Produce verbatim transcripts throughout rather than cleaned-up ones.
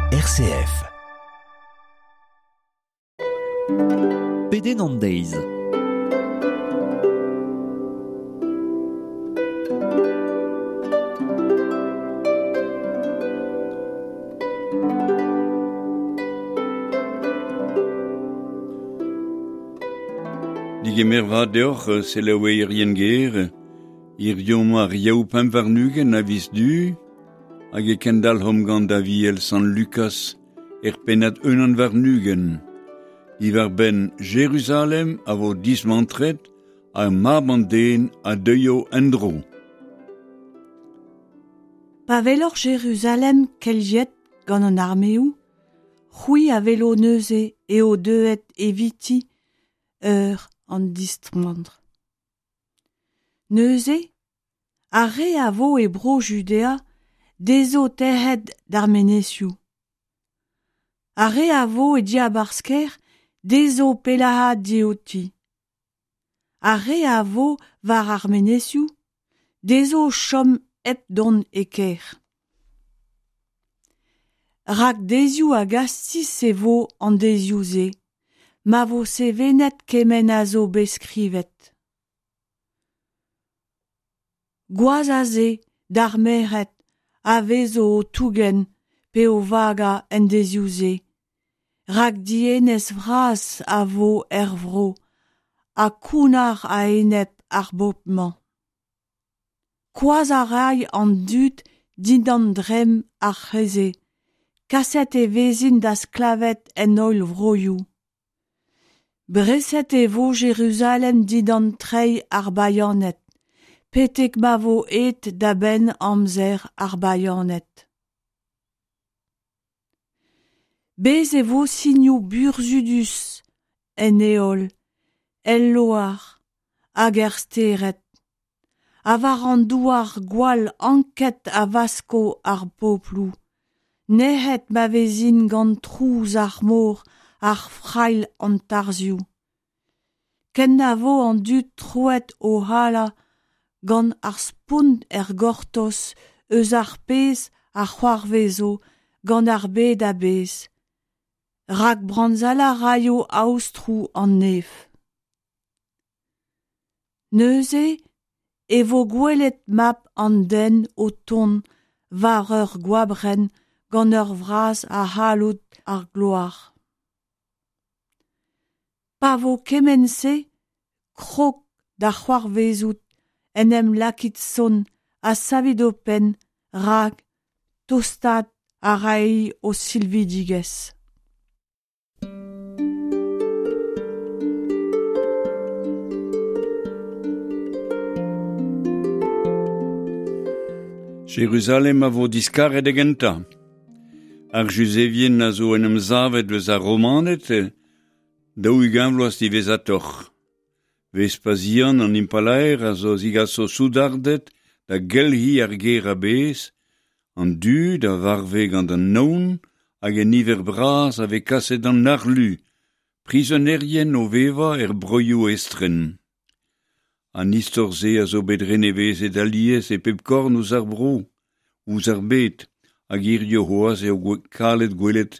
R C F. Pedenn an deiz. Digemer vat deoc'h selaouerien ger, hiziv ar Yaou pemp warn-ugent a viz Du, hag e kendalc'homp gant Aviel Sant Lukas er pennad unan warn-ugent. Diwar-benn Jeruzalem a vo dismantret ha mab an den a deuio en-dro. Pa weloc'h Jeruzalem kelc'hiet gant an armeoù, c'hwi a welo neuze eo deuet eviti eur an dismantr. Neuze, ar re a vo e bro Judea dezho tec'het d'ar menezioù. Ar re a vo e diabarzh kêr dezho pellaat diouti. Ar re a vo war ar menezioù dezho chom hep dont e kêr. Rak deizioù a gastiz e vo an deizioù-se, ma vo sevenet kement a zo bet skrivet. Gwazh a se d'ar merc'hed a vezo o tougen pe o vagañ en deizioù-se, rak dienez vras a vo er vro ha kounnar a-enep ar bobl-mañ. Koazhañ a ray an dud dindan dremm ar c'hleze, kaset e vezint da sklaved en holl vroioù. Breset e vo Jeruzalem dindan treid ar bayaned, betek ma vo aet da benn amzer ar bayaned. Bez' e vo sinoù burzhudus en heol, el loar hag er stered, ha war an douar gwall anket a wasko ar pobloù, nec'het ma vezint gant trouz ar mor ar frailh an tarzhioù. Ken na vo an dud troet o halañ gant ar spont er gortoz eus ar pezh a c'hoarvezo gant ar bed a-bezh. Rak brañsellañ raio aotroù an neñv. Neuze e vo gwelet mab an den o tont war ur goabrenn gant ur vras a c'halloud ar gloar. Pa vo kement-se krog da c'hoarvezout en em lakit sonn ha savit ho penn rak tostaat a ray ho silvidigezh. Jeruzalem a vo diskaret da gentañ. Ar Juzevien a zo en em savet eus ar Romaned daou-ugent vloaz diwezhatoc'h. Vespasian an impalaer a zo zigaso soudarded da gelc'hiñ ar gêr a-bezh, an dud a varve gant an naon hag un niver bras a vez kaset d'an harlu, prizonerien o vevañ er broioù estren. An istor-se a zo bet renevezet alies e pep korn eus ar vro, ouzh ar bed, hag hiziv c'hoazh eo kalet gwelet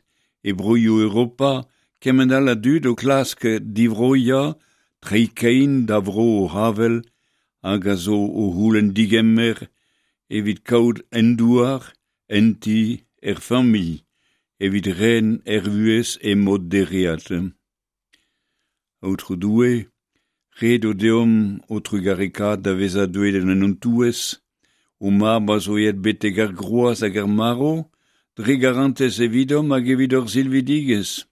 e broioù Europa kement all a dud o klask divroiañ, treiñ kein da vro o c'havell hag a zo o c'houlenn digemer evit kaout en douar, en ti, er familh, evit ren er vuhez e mod dereat. Aotrou Doue, ret eo deomp ho trugarekaat da vezañ deuet en hon touez, ho mab a zo aet betek ar groaz hag ar marv, dre garantez evidomp hag evit hor silvidigezh.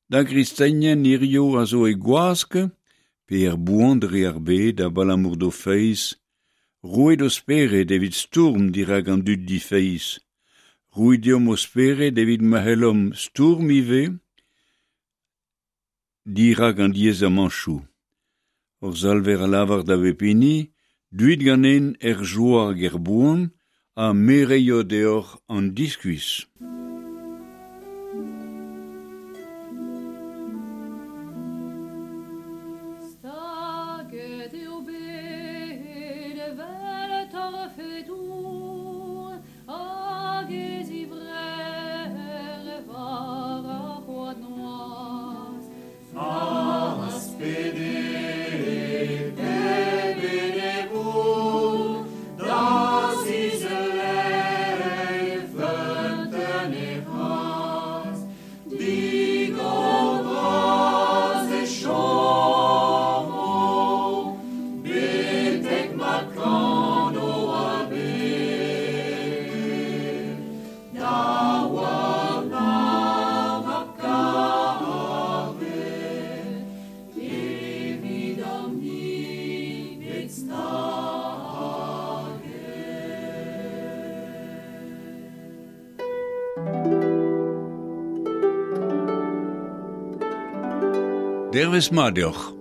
Da gristenien hiziv a zo e gwask, pe er boan dre ar bed abalamour d'o feiz, roit ho spered evit stourm dirak an dud difeiz. Roit deomp ho spered evit ma c'hellomp stourm ivez dirak an diaezamantoù. Hor Salver a lavar da bep hini, deuit ganen er joa hag er boan, ha me reio deoc'h an diskuizh. Staget eo bet evel torfedour hag e zivrec'h Dervez mat deoc'h.